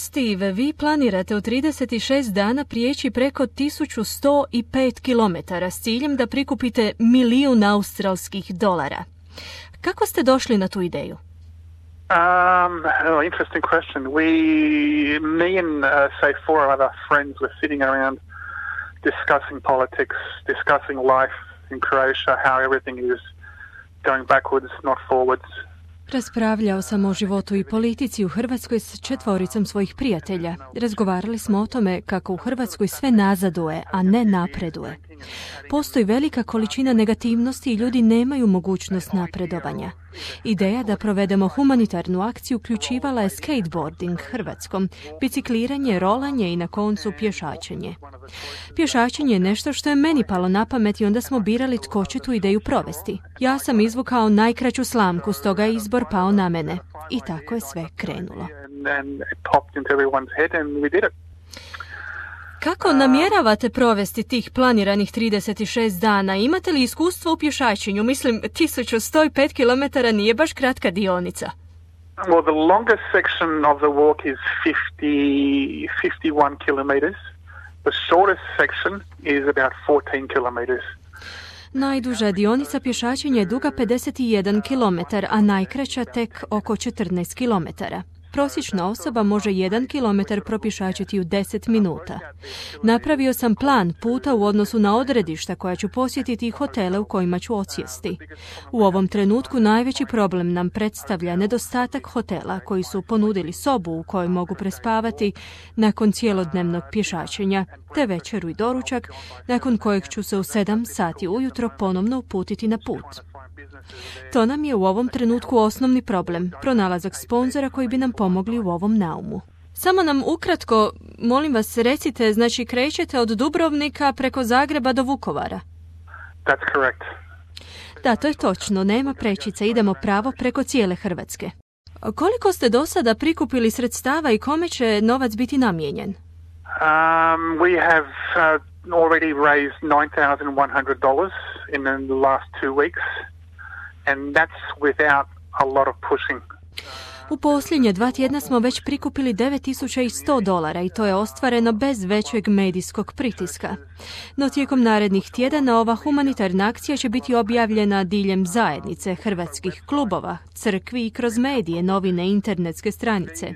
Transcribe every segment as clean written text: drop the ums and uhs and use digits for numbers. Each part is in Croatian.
Steve, vi planirate u 36 dana prijeći preko 1105 kilometara s ciljem da prikupite $1.000.000 australskih dolara. Kako ste došli na tu ideju? Interesting question. Me and say 4 other friends were sitting around discussing politics, discussing life in Croatia, how everything is going backwards, not forwards. Raspravljao sam o životu i politici u Hrvatskoj s 4 svojih prijatelja. Razgovarali smo o tome kako u Hrvatskoj sve nazaduje, a ne napreduje. Postoji velika količina negativnosti i ljudi nemaju mogućnost napredovanja. Ideja da provedemo humanitarnu akciju uključivala je skateboarding Hrvatskom, bicikliranje, rolanje i na koncu pješačenje. Pješačenje je nešto što je meni palo na pamet i onda smo birali tko će tu ideju provesti. Ja sam izvukao najkraću slamku, stoga je izbor pao na mene. I tako je sve krenulo. Kako namjeravate provesti tih planiranih 36 dana? Imate li iskustvo u pješačenju? Mislim, 1105 km nije baš kratka dionica. Well, the longest section of the walk is 51 kilometers. The shortest section is about 14 kilometers. Najduža dionica pješačenja je duga 51 km, a najkraća tek oko 14 km. Prosječna osoba može 1 kilometar propješačiti u 10 minuta. Napravio sam plan puta u odnosu na odredišta koja ću posjetiti i hotele u kojima ću odsjesti. U ovom trenutku najveći problem nam predstavlja nedostatak hotela koji su ponudili sobu u kojoj mogu prespavati nakon cijelodnevnog pješačenja, te večeru i doručak, nakon kojeg ću se u 7 sati ujutro ponovno uputiti na put. To nam je u ovom trenutku osnovni problem, pronalazak sponzora koji bi nam pomogli u ovom naumu. Samo nam ukratko, molim vas, recite, znači krećete od Dubrovnika preko Zagreba do Vukovara? That's correct. Da, to je točno, nema prečice, idemo pravo preko cijele Hrvatske. Koliko ste do sada prikupili sredstava i kome će novac biti namijenjen? We have already raised $9,100 in the last 2 weeks. And that's without a lot of pushing. U posljednje 2 tjedna smo već prikupili $9,100 i to je ostvareno bez većeg medijskog pritiska. No tijekom narednih tjedana ova humanitarna akcija će biti objavljena diljem zajednice, hrvatskih klubova, crkvi i kroz medije, novine, internetske stranice.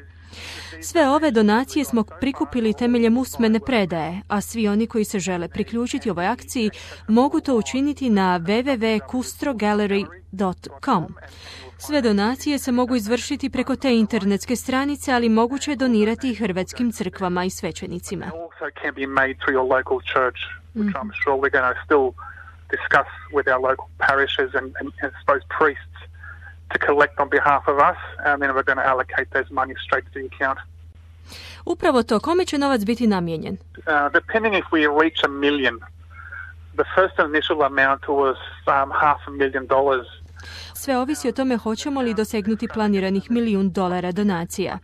Sve ove donacije smo prikupili temeljem usmene predaje, a svi oni koji se žele priključiti ovoj akciji mogu to učiniti na www.kustrogallery.com. Sve donacije se mogu izvršiti preko te internetske stranice, ali moguće je donirati i hrvatskim crkvama i svećenicima. To collect on behalf of us, and then we're going to allocate those money straight to the account. Upravo to, kome će novac biti namijenjen? Depending if we reach 1 million, the first initial amount was $500,000. Sve ovisi o tome hoćemo li dosegnuti planiranih $1.000.000 donacija.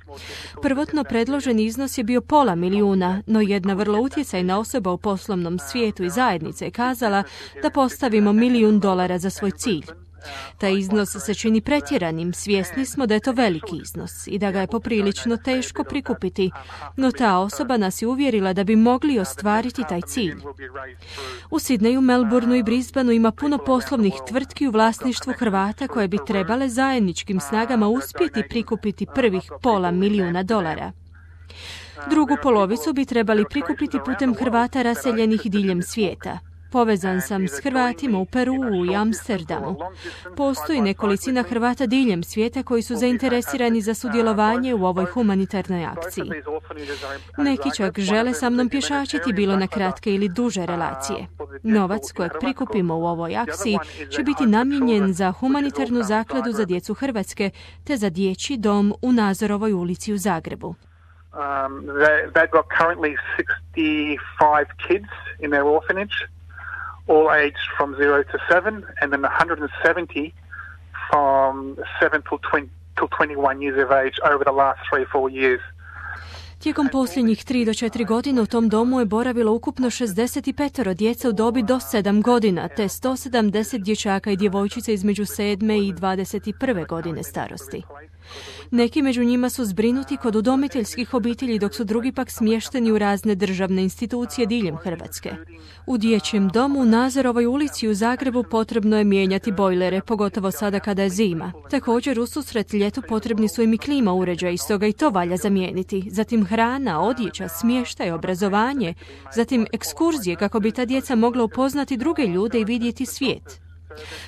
Prvotno predloženi iznos je bio $500,000, no jedna vrlo utjecajna osoba u poslovnom svijetu i zajednice je kazala da postavimo $1.000.000 za svoj cilj. Taj iznos se čini pretjeranim, svjesni smo da je to veliki iznos i da ga je poprilično teško prikupiti, no ta osoba nas je uvjerila da bi mogli ostvariti taj cilj. U Sidneju, Melbourneu i Brisbaneu ima puno poslovnih tvrtki u vlasništvu Hrvata koje bi trebale zajedničkim snagama uspjeti prikupiti prvih $500,000. Drugu polovicu bi trebali prikupiti putem Hrvata raseljenih diljem svijeta. Povezan sam s Hrvatima u Peruu i Amsterdamu. Postoji nekolicina Hrvata diljem svijeta koji su zainteresirani za sudjelovanje u ovoj humanitarnoj akciji. Neki čak žele sa mnom pješačiti bilo na kratke ili duže relacije. Novac kojeg prikupimo u ovoj akciji će biti namijenjen za humanitarnu zakladu za djecu Hrvatske te za dječji dom u Nazorovoj ulici u Zagrebu. They've got currently 65 kids in their orphanage, all aged from 0 to 7, and then 170 from 7 till 21 years of age over the last 3-4 years. Tijekom posljednjih 3 do 4 godine u tom domu je boravilo ukupno 65 djeca u dobi do 7 godina, te 170 dječaka i djevojčica između 7 i 21 godine starosti. Neki među njima su zbrinuti kod udomiteljskih obitelji, dok su drugi pak smješteni u razne državne institucije diljem Hrvatske. U dječjem domu u Nazorovoj ulici u Zagrebu potrebno je mijenjati bojlere, pogotovo sada kada je zima. Također, ususret ljetu potrebni su im i klima uređaji, stoga i to valja zamijeniti. Zatim hrana, odjeća, smještaj, obrazovanje, zatim ekskurzije kako bi ta djeca mogla upoznati druge ljude i vidjeti svijet.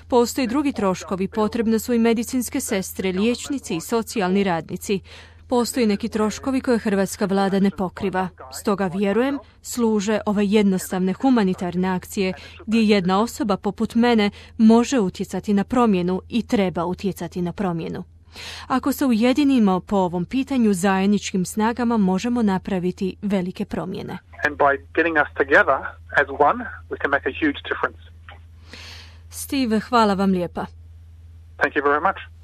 Postoje drugi troškovi, potrebne su i medicinske sestre, liječnici i socijalni radnici. Postoje neki troškovi koje hrvatska vlada ne pokriva. Stoga vjerujem, služe ove jednostavne humanitarne akcije gdje jedna osoba poput mene može utjecati na promjenu i treba utjecati na promjenu. Ako se ujedinimo po ovom pitanju, zajedničkim snagama možemo napraviti velike promjene. And by getting us together as one, we can make a huge difference. Steve, hvala vam lijepa. Thank you very much.